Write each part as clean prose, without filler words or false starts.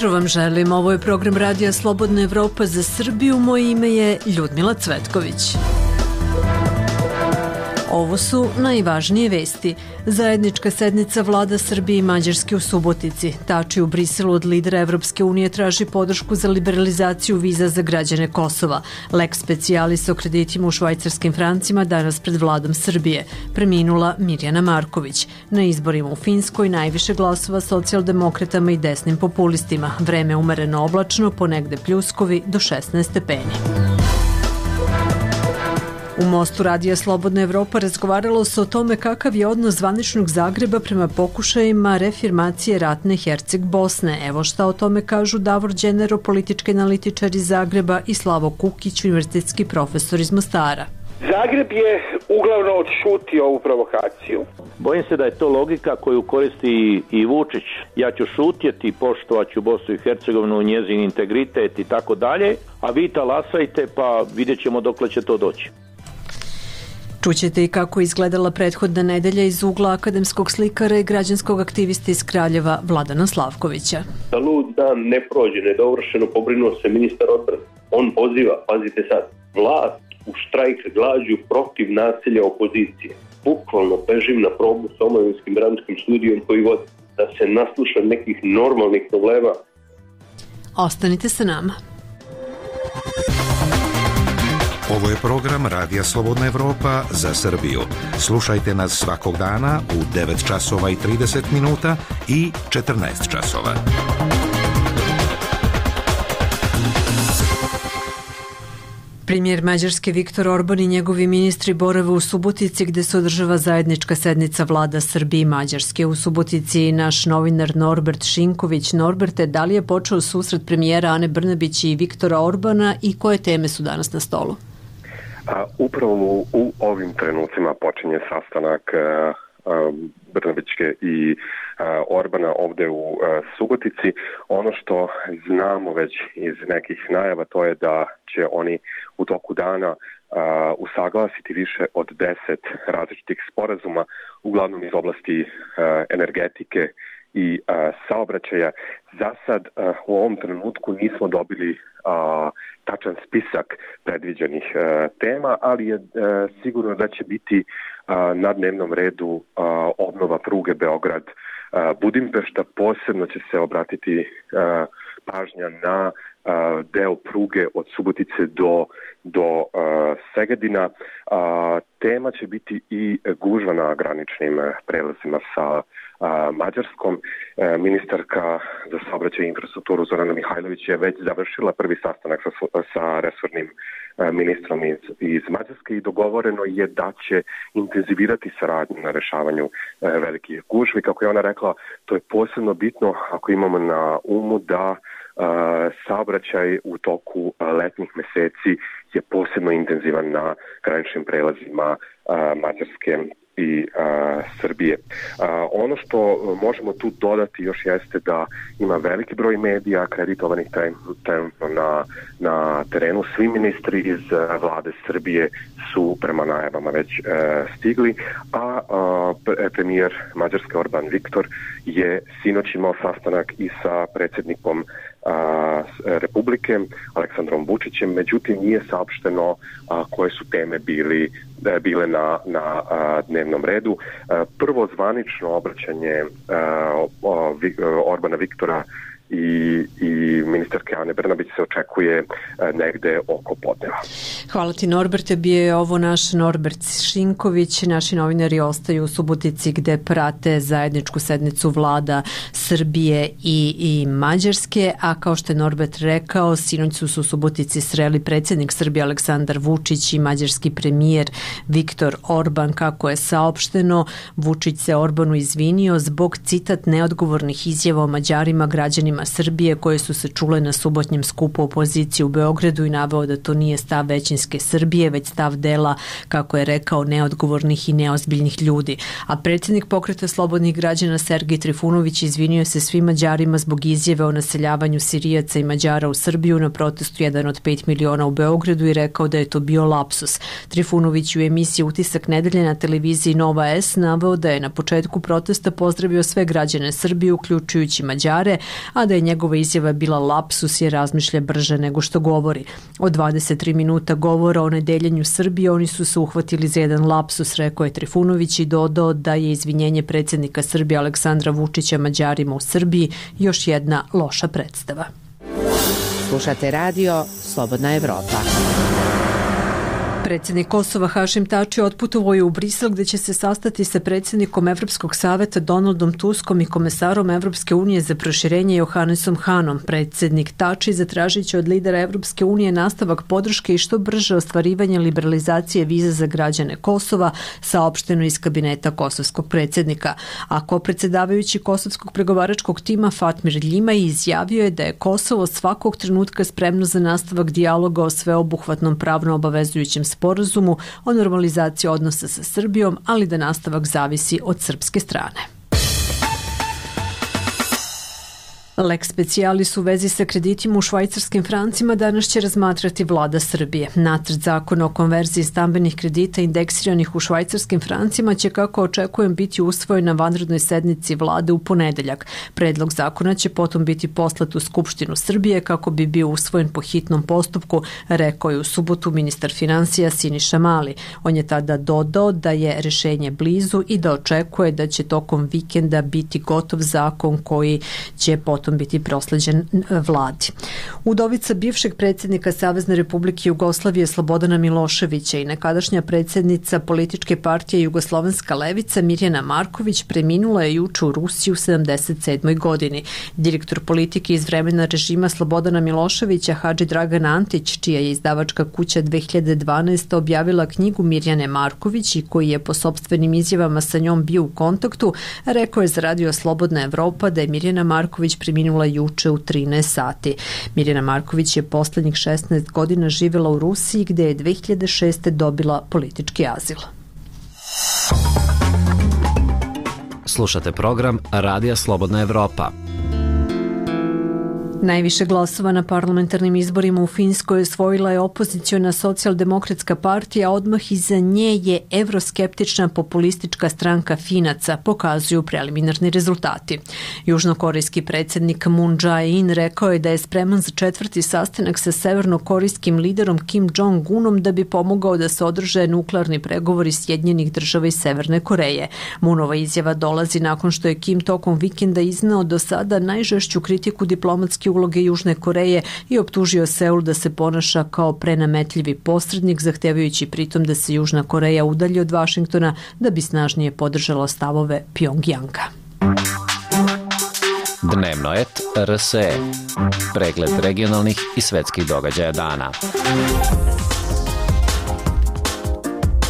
jutro vam želim. Ovo je program Radija Slobodna Evropa za Srbiju. Moje ime je Ljudmila Cvetković. Ovo su najvažnije vesti. Zajednička sednica vlada Srbije i Mađarske u Subotici. Tači u Briselu od lidera Evropske unije traži podršku za liberalizaciju viza za građane Kosova. Lex specialis o kreditima u švajcarskim francima danas pred vladom Srbije. Preminula Mirjana Marković. Na izborima u Finskoj najviše glasova socijaldemokratama i desnim populistima. Vreme umereno oblačno, ponegde pljuskovi do 16 stepeni. U Mostu Radija Slobodna Evropa razgovaralo se o tome kakav je odnos zvaničnog Zagreba prema pokušajima reafirmacije ratne Herceg Bosne. Evo šta o tome kažu Davor Đenero, politički analitičar iz Zagreba, i Slavo Kukić, univerzitetski profesor iz Mostara. Zagreb je uglavnom odšutio ovu provokaciju. Bojim se da je to logika koju koristi i Vučić. Ja ću šutjeti, poštovaću Bosnu i Hercegovinu, njezin integritet i tako dalje, a vi talasajte pa vidjet ćemo dokle će to doći. Čućete i kako je izgledala prethodna nedelja iz ugla akademskog slikara i građanskog aktivista iz Kraljeva Vladana Slavkovića. Da lud dan ne prođe nedovršeno, pobrinuo se ministar odbrane. On poziva, pazite sad, vlast u štrajk glađu protiv nasilja opozicije. Bukvalno bežim na probu s Omovinskim brandskim studijom koji vodi, da se nasluša nekih normalnih problema. Ostanite sa nama. Ovo je program Radija Slobodna Evropa za Srbiju. Slušajte nas svakog dana u 9 časova i 30 minuta i 14 časova. Premijer Mađarske Viktor Orban i njegovi ministri borave u Subotici gde se održava zajednička sednica vlada Srbije i Mađarske. U Subotici naš novinar Norbert Šinković. Norberte, da li je počeo susret premijera Ane Brnabić i Viktora Orbana i koje teme su danas na stolu? Upravo u ovim trenucima počinje sastanak Brnabićke i Orbana ovde u Subotici. Ono što znamo već iz nekih najava, to je da će oni u toku dana usaglasiti više od 10 različitih sporazuma, uglavnom iz oblasti energetike i saobraćaja. Za sad u ovom trenutku nismo dobili tačan spisak predviđenih tema, ali je sigurno da će biti na dnevnom redu obnova pruge Beograd-Budimpešta. Posebno će se obratiti pažnja na deo pruge od Subotice do Segedina. Tema će biti i gužva na graničnim prelazima sa Mađarskom. Ministarka za saobraćaj i infrastrukturu Zorana Mihajlović je već završila prvi sastanak sa resornim ministrom iz Mađarske i dogovoreno je da će intenzivirati saradnju na rešavanju velikih gužvi. Kako je ona rekla, to je posebno bitno ako imamo na umu da saobraćaj u toku letnjih meseci je posebno intenzivan na graničnim prelazima Mađarske i Srbije. Ono što možemo tu dodati još jeste da ima veliki broj medija akreditovanih trenutno na terenu. Svi ministri iz vlade Srbije su prema najavama već stigli, a premijer Mađarske Orban Viktor je sinoć imao sastanak i sa predsjednikom Republike Aleksandrom Vučićem, međutim nije saopšteno koje su teme bile na dnevnom redu. Prvo zvanično obraćanje Orbana Viktora i ministarke Ane Brnabić se očekuje negde oko podneva. Hvala ti, Norberte. Bio je ovo naš Norbert Šinković. Naši novinari ostaju u Subotici gde prate zajedničku sednicu vlada Srbije i Mađarske, a kao što je Norbert rekao, sinoć su se u Subotici sreli predsjednik Srbije Aleksandar Vučić i mađarski premijer Viktor Orban. Kako je saopšteno, Vučić se Orbanu izvinio zbog, citat, neodgovornih izjava o Mađarima, građanima Srbije koje su se čule na subotičkoj subotnjem skupu opozicije u Beogradu i naveo da to nije stav većinske Srbije, već stav dela, kako je rekao, neodgovornih i neozbiljnih ljudi. A predsjednik Pokreta slobodnih građana Sergej Trifunović izvinio se svim Mađarima zbog izjave o naseljavanju Sirijaca i Mađara u Srbiju na protestu 1 od 5 miliona u Beogradu i rekao da je to bio lapsus. Trifunović u emisiji Utisak nedelje na televiziji Nova S naveo da je na početku protesta pozdravio sve građane Srbije, uključujući Mađare, a da je njegova izjava bila lapsus jer razmišlja brže nego što govori. Od 23 minuta govora o nedeljenju Srbije oni su se uhvatili za jedan lapsus, rekao je Trifunović i dodao da je izvinjenje predsjednika Srbije Aleksandra Vučića Mađarima u Srbiji još jedna loša predstava. Slušate radio Slobodna Evropa. Predsjednik Kosova Hašim Tači otputovao je u Brisel gdje će se sastati sa predsjednikom Evropskog saveta Donaldom Tuskom i komesarom Evropske unije za proširenje Johannesom Hanom. Predsjednik Tači zatražit će od lidera Evropske unije nastavak podrške i što brže ostvarivanje liberalizacije viza za građane Kosova, saopšteno iz kabineta kosovskog predsjednika. A kopredsjedavajući kosovskog pregovaračkog tima Fatmir Ljimaj izjavio je da je Kosovo svakog trenutka spremno za nastavak dijaloga o sveobuhvatnom pravno obavezujućem sporazumu o normalizaciji odnosa sa Srbijom, ali da nastavak zavisi od srpske strane. Lex specialis u vezi sa kreditima u švajcarskim francima danas će razmatrati vlada Srbije. Nacrt zakona o konverziji stambenih kredita indeksiranih u švajcarskim francima će, kako očekujem, biti usvojen na vanrednoj sednici vlade u ponedeljak. Predlog zakona će potom biti poslat u Skupštinu Srbije kako bi bio usvojen po hitnom postupku, rekao je u subotu ministar finansija Siniša Mali. On je tada dodao da je rešenje blizu i da očekuje da će tokom vikenda biti gotov zakon koji će potom biti prosleđen vladi. Udovica bivšeg predsjednika Savezne Republike Jugoslavije Slobodana Miloševića i nekadašnja predsjednica političke partije Jugoslovenska levica Mirjana Marković preminula je juče u Rusiji u 77. godini. Direktor politike iz vremena režima Slobodana Miloševića Hadži Dragan Antić, čija je izdavačka kuća 2012. objavila knjigu Mirjane Marković i koji je po sopstvenim izjavama sa njom bio u kontaktu, rekao je za radio Slobodna Evropa da je Mirjana Marković preminula juče u 13 sati. Mirjana Marković je poslednjih 16 godina živjela u Rusiji gde je 2006. dobila politički azil. Slušate program Radija Slobodna Evropa. Najviše glasova na parlamentarnim izborima u Finskoj osvojila je opoziciona socijaldemokratska partija, a odmah iza nje je evroskeptična populistička stranka Finaca, pokazuju preliminarni rezultati. Južnokorejski predsjednik Moon Jae-in rekao je da je spreman za 4. sastanak sa severnokorejskim liderom Kim Jong-unom da bi pomogao da se održe nuklearni pregovori Sjedinjenih država i Severne Koreje. Moonova izjava dolazi nakon što je Kim tokom vikenda izneo do sada najžešću kritiku diplomatske uloge Južne Koreje i optužio Seul da se ponaša kao prenametljivi posrednik, zahtevajući pritom da se Južna Koreja udalji od Vašingtona da bi snažnije podržala stavove Pjongjanga. Dnevno et RSE. Pregled regionalnih i svetskih događaja dana.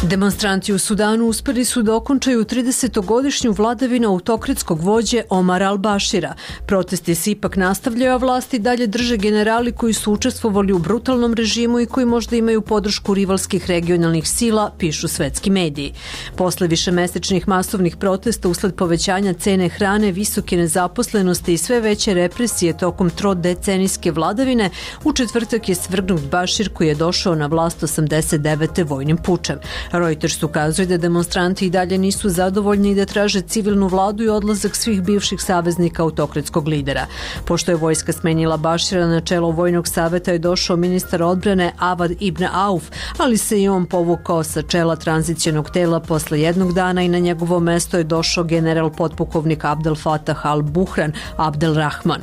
Demonstranti u Sudanu uspeli su da okončaju 30-godišnju vladavinu autokratskog vođe Omar al-Bashira. Protesti se ipak nastavljaju, a vlasti dalje drže generali koji su učestvovali u brutalnom režimu i koji možda imaju podršku rivalskih regionalnih sila, pišu svetski mediji. Posle višemesečnih masovnih protesta usled povećanja cene hrane, visoke nezaposlenosti i sve veće represije tokom trodecenijske vladavine, u četvrtak je svrgnut Bashir koji je došao na vlast 89. vojnim pučem. Reuters ukazuje da demonstranti i dalje nisu zadovoljni i da traže civilnu vladu i odlazak svih bivših saveznika autokratskog lidera. Pošto je vojska smenjila Bashira, na čelo vojnog saveta je došao ministar odbrane Avad ibn Auf, ali se i on povukao sa čela tranzicionog tela posle jednog dana i na njegovo mesto je došao general potpukovnik Abdel Fattah al-Buhran Abdel Rahman.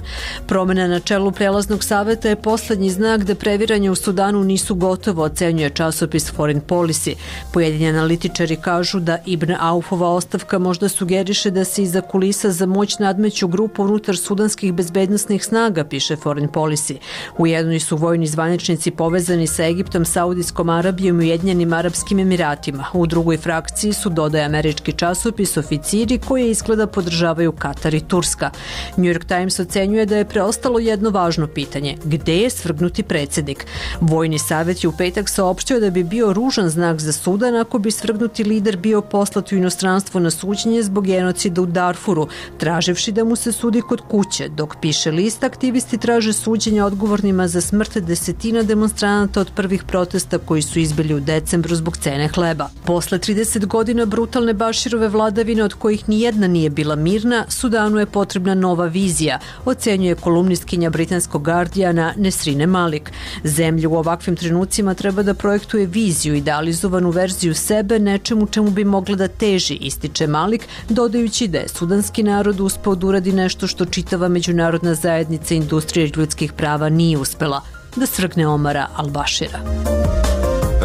Promena na čelu prelaznog saveta je poslednji znak da previranje u Sudanu nisu gotovo, ocenjuje časopis Foreign Policy. Po Ujedinjeni analitičari kažu da Ibn Aufova ostavka možda sugeriše da se iza kulisa za moć nadmeću grupu unutar sudanskih bezbednosnih snaga, piše Foreign Policy. U jednoj su vojni zvaničnici povezani sa Egiptom, Saudijskom Arabijom i Ujedinjenim Arapskim Emiratima. U drugoj frakciji su, dodaje američki časopis, oficiri koji izgleda podržavaju Katar i Turska. New York Times ocenjuje da je preostalo jedno važno pitanje: gde je svrgnuti predsjednik? Vojni savjet je u petak saopštio da bi bio ružan znak za Sudan ako bi svrgnuti lider bio poslat u inostranstvo na suđenje zbog genocida u Darfuru, traživši da mu se sudi kod kuće. Dok piše list, aktivisti traže suđenje odgovornima za smrt desetina demonstranata od prvih protesta koji su izbili u decembru zbog cene hleba. Posle 30 godina brutalne Baširove vladavine, od kojih nijedna nije bila mirna, Sudanu je potrebna nova vizija, ocenjuje kolumnistkinja britanskog Guardiana Nesrine Malik. Zemlja u ovakvim trenucima treba da projektuje viziju, idealizovanu verziju sebe, nečemu čemu bi mogla da teži, ističe Malik, dodajući da je sudanski narod uspeo da uradi nešto što čitava međunarodna zajednica industrije ljudskih prava nije uspela, da svrgne Omara al-Bašira.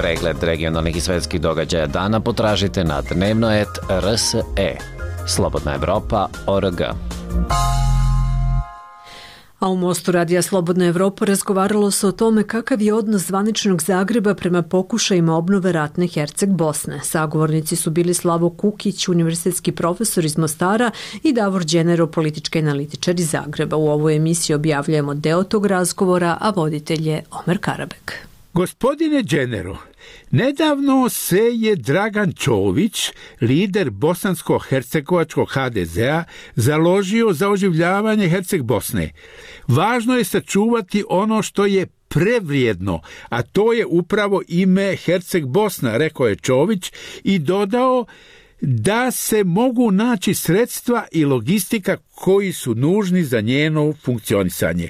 Pregled regionalnih i svetskih događaja dana potražite na dnevno.rs.e. Slobodna Evropa.org. A u Mostu radija Slobodna Evropa razgovaralo se o tome kakav je odnos zvaničnog Zagreba prema pokušajima obnove ratne Herceg Bosne. Sagovornici su bili Slavo Kukić, univerzitetski profesor iz Mostara, i Davor Đenero, politički analitičar iz Zagreba. U ovoj emisiji objavljujemo deo tog razgovora, a voditelj je Omer Karabek. Gospodine Đenero, nedavno se je Dragan Čović, lider bosansko-hercegovačkog HDZ-a, založio za oživljavanje Herceg Bosne. Važno je sačuvati ono što je prevrijedno, a to je upravo ime Herceg Bosna, rekao je Čović i dodao da se mogu naći sredstva i logistika koji su nužni za njeno funkcionisanje.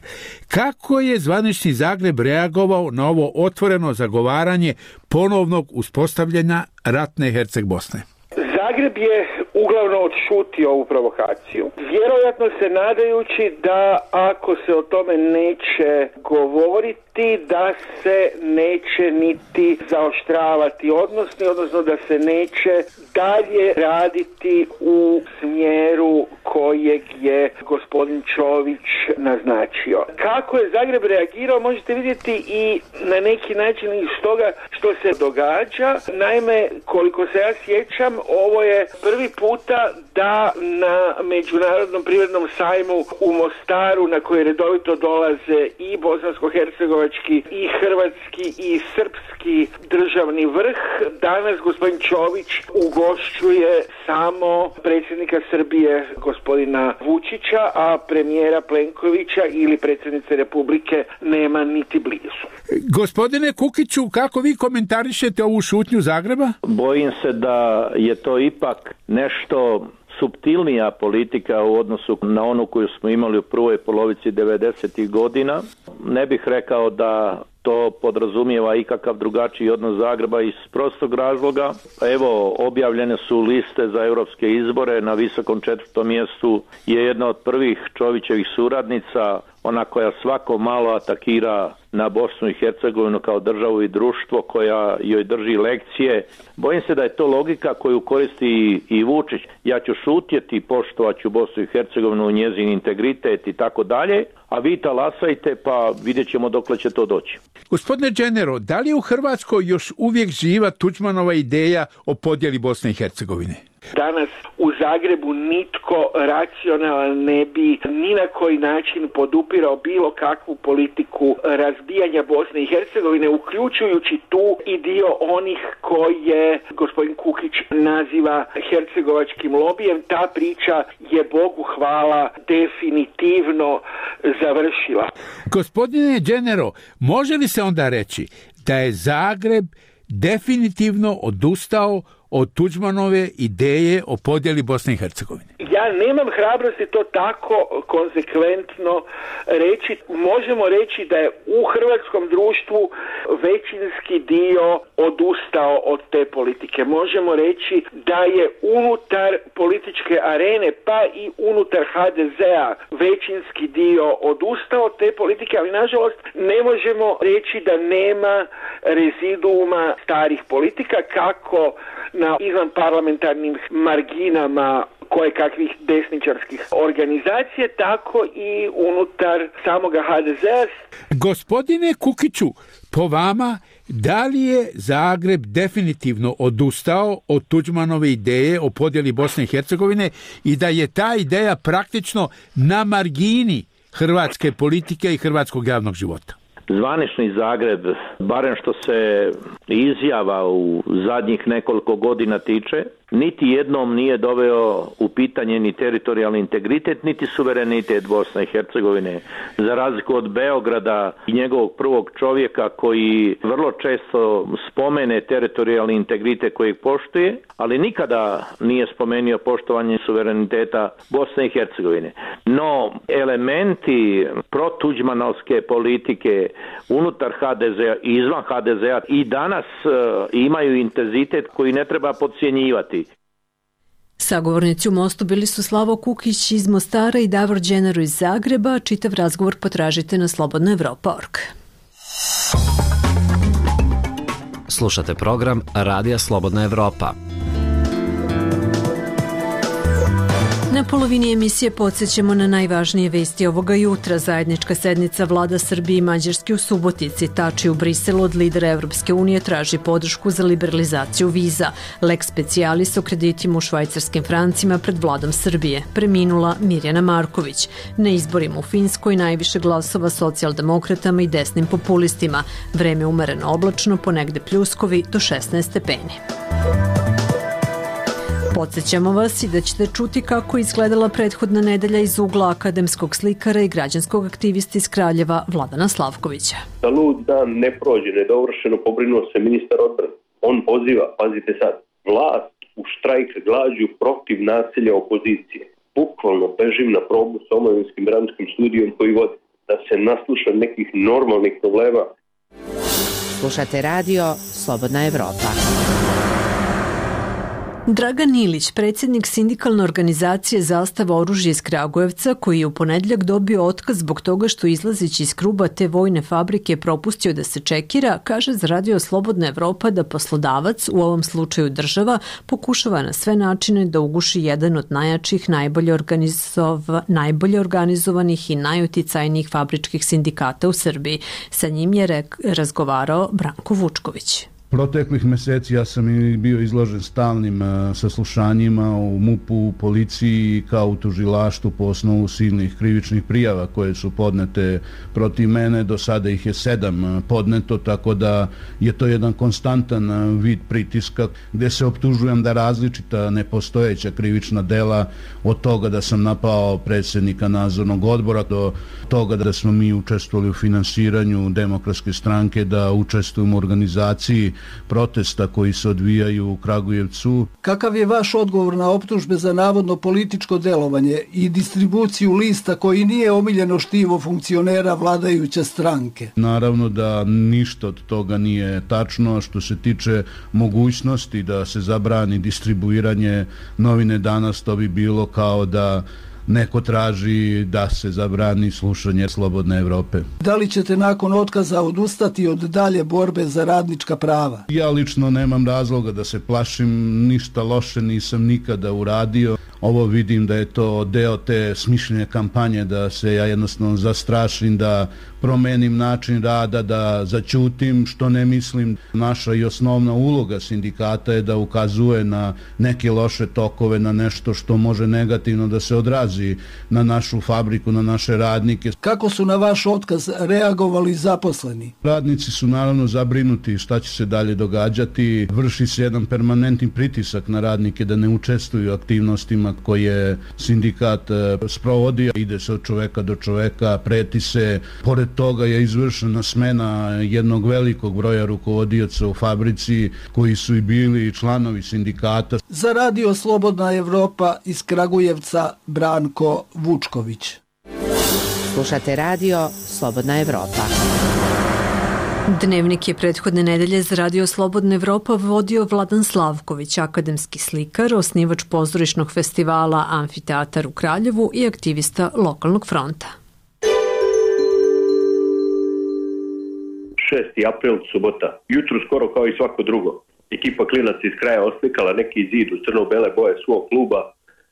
Kako je zvanični Zagreb reagovao na ovo otvoreno zagovaranje ponovnog uspostavljanja ratne Herceg Bosne? Zagreb je uglavnom odšutio ovu provokaciju, vjerojatno se nadajući da ako se o tome neće govoriti, da se neće niti zaoštravati odnosno da se neće dalje raditi u smjeru kojeg je gospodin Čović naznačio. Kako je Zagreb reagirao možete vidjeti i na neki način iz toga što se događa. Naime, koliko se ja sjećam, ovo je prvi puta da na Međunarodnom privrednom sajmu u Mostaru, na koji redovito dolaze i bosansko-hercegovački i hrvatski i srpski državni vrh, danas gospodin Čović ugošćuje samo predsjednika Srbije gospodina Vučića, a premijera Plenkovića ili predsjednice Republike nema niti blizu. Gospodine Kukiću, kako vi komentarišete ovu šutnju Zagreba? Bojim se da je to ipak nešto suptilnija politika u odnosu na onu koju smo imali u prvoj polovici 90. godina. Ne bih rekao da to podrazumijeva ikakav drugačiji odnos Zagreba iz prostog razloga. Evo, objavljene su liste za europske izbore. Na visokom 4. mjestu je jedna od prvih Čovićevih suradnica, ona koja svako malo atakira na Bosnu i Hercegovinu kao državu i društvo, koja joj drži lekcije. Bojim se da je to logika koju koristi i Vučić. Ja ću šutjeti, poštovaću Bosnu i Hercegovinu, njezin integritet i tako dalje, a vi talasajte pa vidjet ćemo dokle će to doći. Gospodine Đenero, da li je u Hrvatskoj još uvijek živa Tuđmanova ideja o podjeli Bosne i Hercegovine? Danas u Zagrebu nitko racionalan ne bi ni na koji način podupirao bilo kakvu politiku razbijanja Bosne i Hercegovine, uključujući tu i dio onih koje gospodin Kukić naziva hercegovačkim lobijem. Ta priča je, Bogu hvala, definitivno završila. Gospodine Đenero, može li se onda reći da je Zagreb definitivno odustao od Tuđmanove ideje o podjeli Bosne i Hercegovine? Ja nemam hrabrosti to tako konsekventno reći. Možemo reći da je u hrvatskom društvu većinski dio odustao od te politike. Možemo reći da je unutar političke arene, pa i unutar HDZ-a većinski dio odustao od te politike, ali nažalost ne možemo reći da nema reziduuma starih politika, kako na izvanparlamentarnim marginama koje kakvih desničarskih organizacija, tako i unutar samoga HDZ-a. Gospodine Kukiću, po vama, da li je Zagreb definitivno odustao od Tuđmanove ideje o podjeli Bosne i Hercegovine i da je ta ideja praktično na margini hrvatske politike i hrvatskog javnog života? Zvanični Zagreb, barem što se izjava u zadnjih nekoliko godina tiče, niti jednom nije doveo u pitanje ni teritorijalni integritet, niti suverenitet Bosne i Hercegovine, za razliku od Beograda i njegovog prvog čovjeka koji vrlo često spomene teritorijalni integritet kojeg poštuje, ali nikada nije spomenuo poštovanje suvereniteta Bosne i Hercegovine. No, elementi protuđmanovske politike unutar HDZ-a i izvan HDZ-a i danas imaju intenzitet koji ne treba podcjenjivati. Sagovornici u Mostu bili su Slavo Kukić iz Mostara i Davor Đenaru iz Zagreba. Čitav razgovor potražite na slobodnaevropa.org. Slušate program Radija Slobodna Evropa. Na polovini emisije podsjećamo na najvažnije vesti ovoga jutra. Zajednička sednica vlada Srbije i Mađarske u Subotici. Tači u Briselu od lidera Evropske unije traži podršku za liberalizaciju viza. Lex specialis o kreditima u švajcarskim francima pred vladom Srbije. Preminula Mirjana Marković. Na izborima u Finskoj najviše glasova socijaldemokratama i desnim populistima. Vreme umereno oblačno, ponegde pljuskovi do 16 stepeni. Podsjećamo vas i da ćete čuti kako izgledala prethodna nedelja iz ugla akademskog slikara i građanskog aktivista iz Kraljeva Vladana Slavkovića. Da lud dan ne prođe, nedovršeno pobrinuo se ministar odbrane. On poziva, pazite sad, vlast u štrajk glađu protiv nasilja opozicije. Bukvalno bežim na probu s Omovinskim brandskim studijom koji vodi, da se nasluša nekih normalnih problema. Slušate radio Slobodna Evropa. Dragan Ilić, predsjednik sindikalne organizacije Zastava oružje iz Kragujevca, koji je u ponedjeljak dobio otkaz zbog toga što izlazeći iz kruba te vojne fabrike propustio da se čekira, kaže za radio Slobodna Evropa da poslodavac, u ovom slučaju država, pokušava na sve načine da uguši jedan od najjačih, najbolje organizovanih i najuticajnijih fabričkih sindikata u Srbiji. Sa njim je razgovarao Branko Vučković. Proteklih meseci ja sam i bio izložen stalnim saslušanjima u MUP-u, u policiji kao u tužilaštvu po osnovu silnih krivičnih prijava koje su podnete protiv mene. Do sada ih je 7 podneto, tako da je to jedan konstantan vid pritiska gdje se optužujem da različita nepostojeća krivična dela, od toga da sam napao predsjednika nadzornog odbora do toga da smo mi učestvovali u finansiranju Demokratske stranke, da učestvujemo u organizaciji protesta koji se odvijaju u Kragujevcu. Kakav je vaš odgovor na optužbe za navodno političko delovanje i distribuciju lista koji nije omiljeno štivo funkcionera vladajuće stranke? Naravno da ništa od toga nije tačno. Što se tiče mogućnosti da se zabrani distribuiranje novine Danas, to bi bilo kao da neko traži da se zabrani slušanje Slobodne Evrope. Da li ćete nakon otkaza odustati od dalje borbe za radnička prava? Ja lično nemam razloga da se plašim, ništa loše nisam nikada uradio. Ovo vidim da je to deo te smišljene kampanje, da se ja jednostavno zastrašim, da promenim način rada, da zaćutim, što ne mislim. Naša i osnovna uloga sindikata je da ukazuje na neke loše tokove, na nešto što može negativno da se odrazi na našu fabriku, na naše radnike. Kako su na vaš otkaz reagovali zaposleni? Radnici su naravno zabrinuti šta će se dalje događati. Vrši se jedan permanentni pritisak na radnike da ne učestvuju u aktivnostima pritisak koje sindikat sprovodi, ide se od čoveka do čoveka, preti se. Pored toga je izvršena smena jednog velikog broja rukovodioca u fabrici koji su i bili članovi sindikata. Za Radio Slobodna Evropa iz Kragujevca Branko Vučković. Slušate Radio Slobodna Evropa. Dnevnik je prethodne nedelje za Radio Slobodna Evropa vodio Vladan Slavković, akademski slikar, osnivač pozorišnog festivala Amfiteatar u Kraljevu i aktivista lokalnog fronta. 6. april, subota. Jutro skoro kao i svako drugo. Ekipa klinaca iz kraja oslikala neki zid u crno-bele boje svog kluba,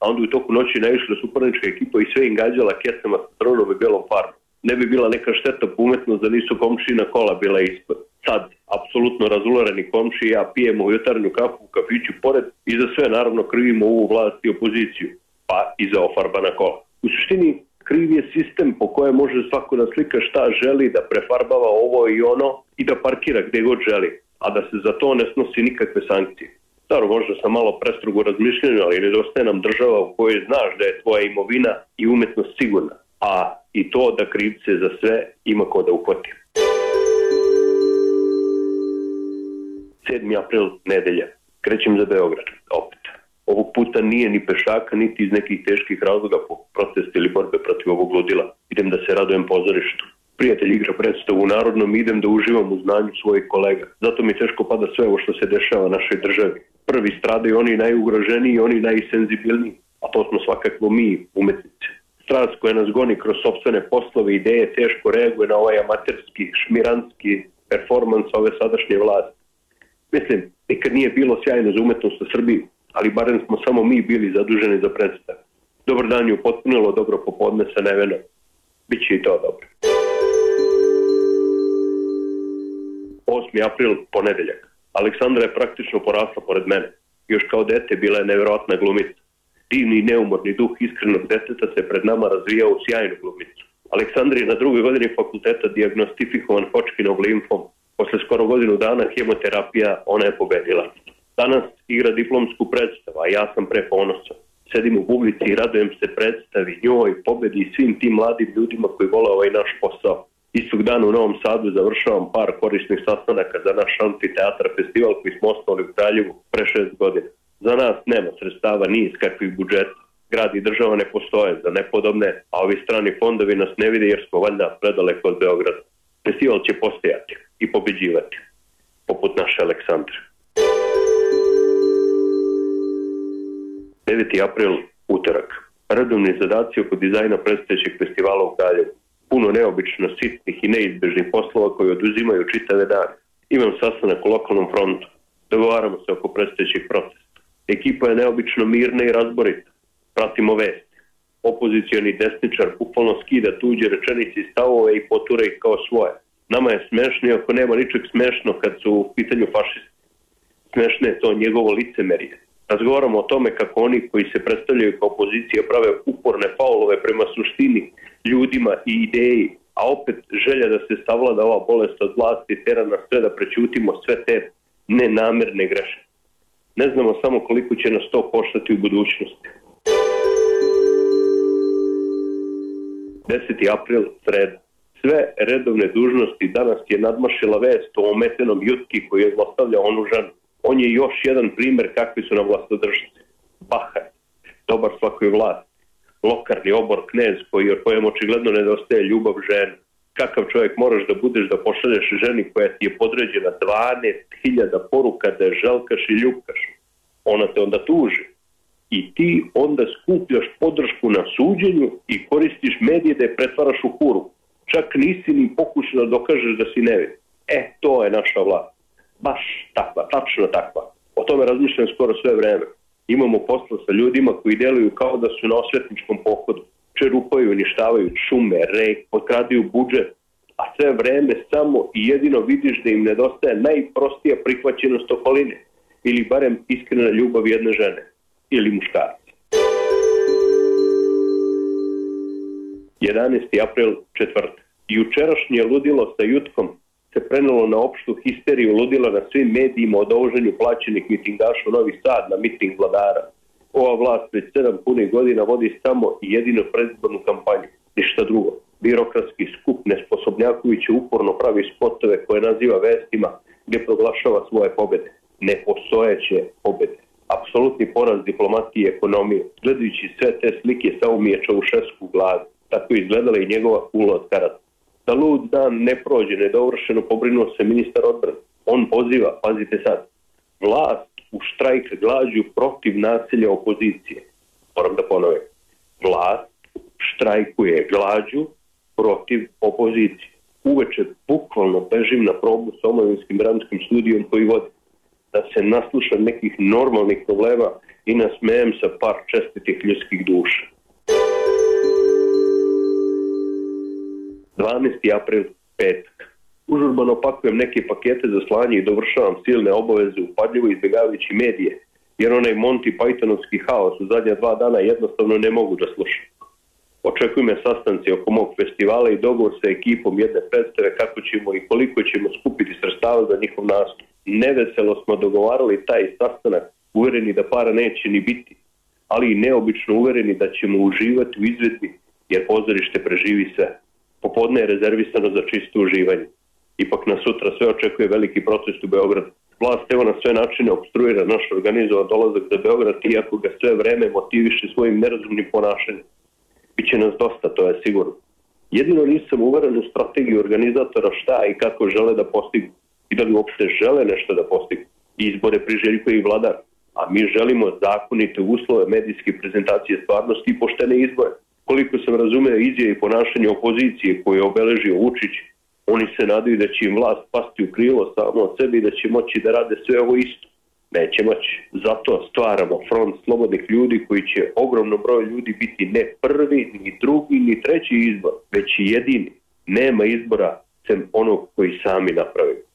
a onda u toku noći naišla suparnička ekipa i sve im gađala kecama sa crnom i belom farbom. Ne bi bila neka šteta po umetnost da nisu komšina kola bila ispod. Sad, apsolutno razulareni komši i ja pijemo u jutarnju kafu u kafiću pored i za sve naravno krivimo ovu vlast i opoziciju, pa i za ofarbana kola. U suštini, kriv je sistem po kojem može svako da slika šta želi, da prefarbava ovo i ono i da parkira gde god želi, a da se za to ne snosi nikakve sankcije. Staro, možda sam malo prestrogo razmišljeno, ali nedostaje nam država u kojoj znaš da je tvoja imovina i umetnost sigurna, a i to da krivce za sve ima ko da uhvati. 7. april, nedelja. Krećem za Beograd, opet. Ovog puta nije ni pešaka, niti iz nekih teških razloga po protestu ili borbe protiv ovog ludila. Idem da se radujem pozorištu. Prijatelj igra predstavu u Narodnom i idem da uživam u znanju svojih kolega. Zato mi teško pada sve ovo što se dešava našoj državi. Prvi stradaju oni najugroženiji i oni najsenzibilniji, a to smo svakako mi, umetnici. Strast koja nas goni kroz sopstvene poslove i ideje teško reaguje na ovaj amaterski, šmiranski performans ove sadašnje vlasti. Mislim, nikad nije bilo sjajno za umetnost u Srbiji, ali barem smo samo mi bili zaduženi za predstavu. Dobar dan je upotpunilo dobro popodne sa Nevenom. Biće i to dobro. 8. april, ponedeljak. Aleksandra je praktično porasla pored mene. Još kao dete bila je nevjerojatna glumica. Divni i neumorni duh iskrenog deteta se pred nama razvijao u sjajnu glumicu. Aleksandra je na 2. godini fakulteta dijagnostifikovan Hodgkinov limfom. Posle skoro godinu dana hemoterapija ona je pobedila. Danas igra diplomsku predstavu, a ja sam preponosan. Sedim u publici i radujem se predstavi, njoj, pobedi i svim tim mladim ljudima koji vole ovaj naš posao. Istog dana u Novom Sadu završavam par korisnih sastanaka za naš Amfiteatar festival koji smo osnovali u Kraljevu pre 6 godina. Za nas nema sredstava ni iz kakvih budžeta. Grad i država ne postoje za nepodobne, a ovi strani fondovi nas ne vide jer smo valjda predaleko od Beograda. Festival će postojati i pobeđivati, poput naše Aleksandre. 9. april, utorak. Redovni zadaci oko dizajna predstojećeg festivala u Kraljevu. Puno neobično sitnih i neizbežnih poslova koji oduzimaju čitave dane. Imam sastanak u lokalnom frontu. Dogovaramo se oko predstojećeg protesta. Ekipa je neobično mirna i razborita. Pratimo vesti. Opozicioni desničar bukvalno skida tuđe rečenice i stavove i potura ih kao svoje. Nama je smešno, ako nema ničeg smešno kad su u pitanju fašisti. Smešno je to njegovo licemerje. Razgovaramo o tome kako oni koji se predstavljaju kao opozicija prave uporne faulove prema suštini, ljudima i ideji, a opet želja da se savlada ova bolest od vlasti tera nas sve da prećutimo sve te nenamerne greške. Ne znamo samo koliko će nas to koštati u budućnosti. 10. april, sreda. Sve redovne dužnosti danas je nadmašila vest o ometenom jutki koji je zlostavljao onu ženu. On je još jedan primer kakvi su nam vlastodržci. Bahaj, dobar svakoj vlasti. Lokarni obor knez kojem očigledno nedostaje ljubav žene. Kakav čovjek moraš da budeš da pošalješ ženi koja ti je podređena 12.000 poruka da je želkaš i ljubkaš. Ona te onda tuži. I ti onda skupljaš podršku na suđenju i koristiš medije da je pretvaraš u huru. Čak nisi ni pokušao da dokažeš da si nevin. To je naša vlast. Baš takva, tačno takva. O tome razmišljam skoro sve vreme. Imamo posla sa ljudima koji deluju kao da su na osvetničkom pohodu. Čerupaju, uništavaju šume, rek, potkraduju budžet, a sve vreme samo i jedino vidiš da im nedostaje najprostija prihvaćenost okoline ili barem iskrena ljubav jedne žene ili muškarca. 11. april, četvrtak. Jučerašnje ludilo sa jutkom se prenelo na opštu histeriju ludila na svim medijima o dovoženju plaćenih mitingaša u Novi Sad na miting vladara. ova vlast već 7 punih godina vodi samo i jedino predizbornu kampanju, ništa drugo. Birokratski skup nesposobnjaković uporno pravi spotove koje naziva vestima gdje proglašava svoje pobjede. Nepostojeće pobjede. Apsolutni poraz diplomatije i ekonomije. Gledajući sve te slike Saumije Čaušesku u glavi, tako izgledala i njegova kula od karata. Da lud dan ne prođe nedovršeno, pobrinuo se ministar odbrane. On poziva, pazite sad, vlast u štrajk glađu protiv nasilja opozicije. Moram da ponovim. Vlast štrajkuje glađu protiv opozicije. Uveče bukvalno bežim na probu s omovinskim dramskim studijom koji vodi. Da se naslušam nekih normalnih problema i nasmejem sa par čestitih ljudskih duša. 12. april, petak. Užurbano pakujem neke pakete za slanje i dovršavam silne obaveze upadljivo izbjegavajući medije, jer onaj Monty Pythonovski haos u zadnja 2 dana jednostavno ne mogu da slušam. Očekuju me sastanci oko mog festivala i dogovor sa ekipom jedne predstave kako ćemo i koliko ćemo skupiti sredstava za njihov nastup. Neveselo smo dogovarali taj sastanak, uvereni da para neće ni biti, ali i neobično uvereni da ćemo uživati u izvedbi, jer pozorište preživi sve. Popodne je rezervisano za čisto uživanje. Ipak nas sutra sve očekuje veliki protest u Beogradu. Vlast evo na sve načine opstruira naš organizovan dolazak za Beograd, iako ga sve vreme motiviše svojim nerazumnim ponašanjem. Biće nas dosta, to je sigurno. Jedino nisam uveren u strategiju organizatora šta i kako žele da postignu. I da li uopšte žele nešto da postignu. Izbore priželjkuje i vladar. A mi želimo zakonite uslove medijske prezentacije stvarnosti i poštene izbore. Koliko sam razumeo izjave i ponašanje opozicije koje je obeležio Vučić, oni se nadaju da će im vlast pasti u krilo samo od sebe i da će moći da rade sve ovo isto. Neće moći. Zato stvaramo front slobodnih ljudi koji će ogromno broj ljudi biti ne prvi, ni drugi, ni treći izbor, već i jedini. Nema izbora sem onog koji sami napravimo.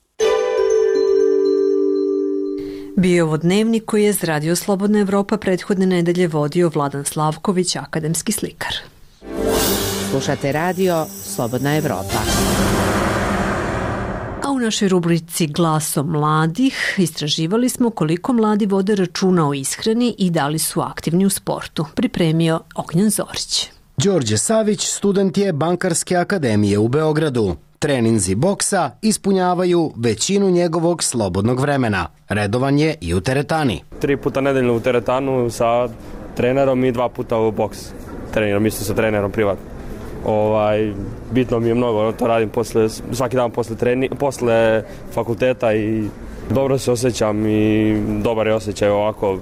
Bio je ovo dnevnik koji je za Radio Slobodna Evropa prethodne nedelje vodio Vladan Slavković, akademski slikar. Slušate radio Slobodna Evropa. A u našoj rubrici Glasom mladih istraživali smo koliko mladi vode računa o ishrani i da li su aktivni u sportu. Pripremio Ognjen Zorić. Đorđe Savić student je Bankarske akademije u Beogradu. Treninzi boksa ispunjavaju većinu njegovog slobodnog vremena. Redovan je i u teretani. 3 puta nedeljno u teretanu sa trenerom i 2 puta u boks. Treniram isto sa trenerom privatno. Bitno mi je mnogo, to radim svaki dan posle fakulteta i dobro se osjećam i dobar je osjećaj ovako.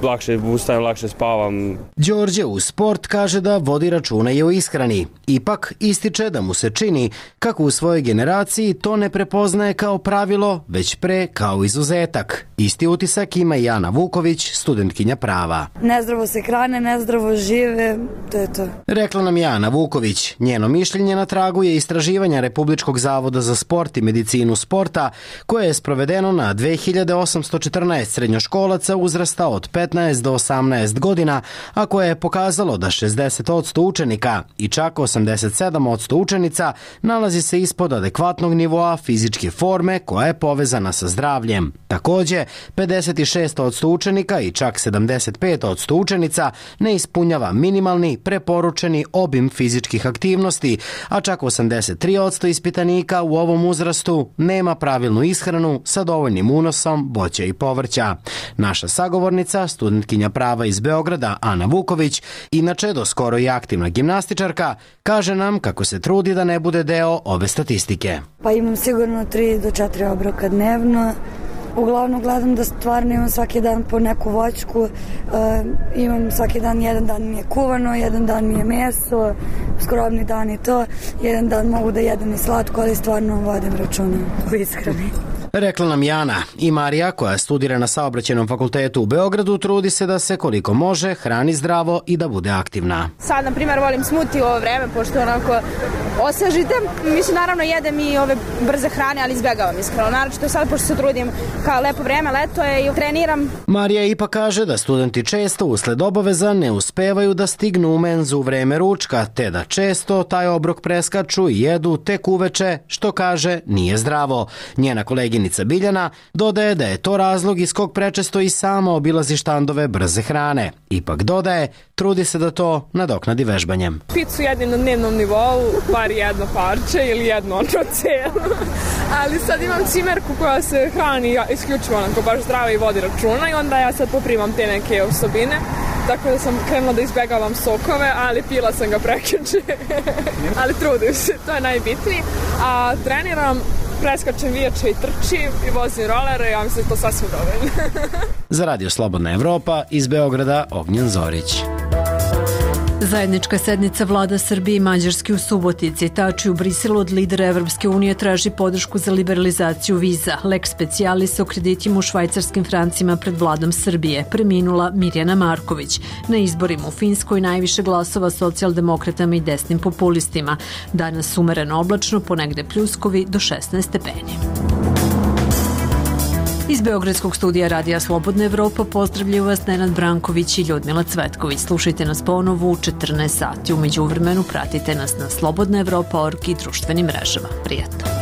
Lakše ustajem, lakše spavam. Đorđe u sport kaže da vodi računa i o ishrani. Ipak ističe da mu se čini kako u svojoj generaciji to ne prepoznaje kao pravilo, već pre kao izuzetak. Isti utisak ima i Ana Vuković, studentkinja prava. Nezdravo se hrane, nezdravo žive, to je to. Rekla nam je Ana Vuković. Njeno mišljenje na tragu je istraživanja Republičkog zavoda za sport i medicinu sporta, koje je sprovedeno na 2814 srednjoškolaca uzrasta od 15 do 18 godina, a koje je pokazalo da 60% učenika i čak 87% učenica nalazi se ispod adekvatnog nivoa fizičke forme koja je povezana sa zdravljem. Takođe, 56% učenika i čak 75% učenica ne ispunjava minimalni preporučeni obim fizičkih aktivnosti, a čak 83% ispitanika u ovom uzrastu nema pravilnu ishranu sa dovoljnim unosom voća i povrća. Naša sagovornica, studentkinja prava iz Beograda, Ana Vuković, inače do skoro i aktivna gimnastičarka, kaže nam kako se trudi da ne bude deo ove statistike. Pa imam sigurno 3 do 4 obroka dnevno. Uglavnom gledam da stvarno imam svaki dan po neku voćku, imam svaki dan, jedan dan mi je kuvano, jedan dan mi je meso, skromni dan i to, jedan dan mogu da jedem i slatko, ali stvarno vodim računa u ishrani. Rekla nam Jana. I Marija, koja studira na Saobraćajnom fakultetu u Beogradu, trudi se da se koliko može hrani zdravo i da bude aktivna. Sad, na primjer, volim smuti u ovo vreme, pošto onako osvežite. Mislim, naravno, jedem i ove brze hrane, ali izbjegavam iskreno. Naravno, sad, pošto se trudim kao lepo vreme, leto je i treniram. Marija ipak kaže da studenti često usled obaveza ne uspevaju da stignu u menzu u vreme ručka, te da često taj obrok preskaču i jedu tek uveče, što kaže nije zdravo. Njena koleginica Danica Biljana dodaje da je to razlog iz kog prečesto i sama obilazi štandove brze hrane. Ipak dodaje, trudi se da to nadoknadi vežbanjem. Picu jedim na dnevnom nivou, bar jedno parče ili jedno celo. Ali sad imam cimerku koja se hrani isključivo onako baš zdravo i vodi računa i onda ja sad poprimam te neke osobine. Tako da sam krenula da izbegavam sokove, ali pila sam ga prekjuče. Ali trudim se, to je najbitnije. A treniram, preskačem vijače i trčim i vozim rolere, ja mislim da to sasvim dovoljno. Za Radio Slobodna Evropa iz Beograda Ognjen Zorić. Zajednička sednica vlada Srbije i Mađarske u Subotici. Tači u Briselu od lidera Evropske unije traži podršku za liberalizaciju viza. Lex specialis o kreditima u švajcarskim francima pred vladom Srbije. Preminula Mirjana Marković. Na izborima u Finskoj najviše glasova socijaldemokratama i desnim populistima. Danas umereno oblačno, ponegde pljuskovi do 16 stepeni. Iz Beogradskog studija Radija Slobodna Evropa pozdravljaju vas Nenad Branković i Ljudmila Cvetković. Slušajte nas ponovo u 14 sati. U međuvremenu pratite nas na slobodnaevropa.org i društvenim mrežama. Prijatno.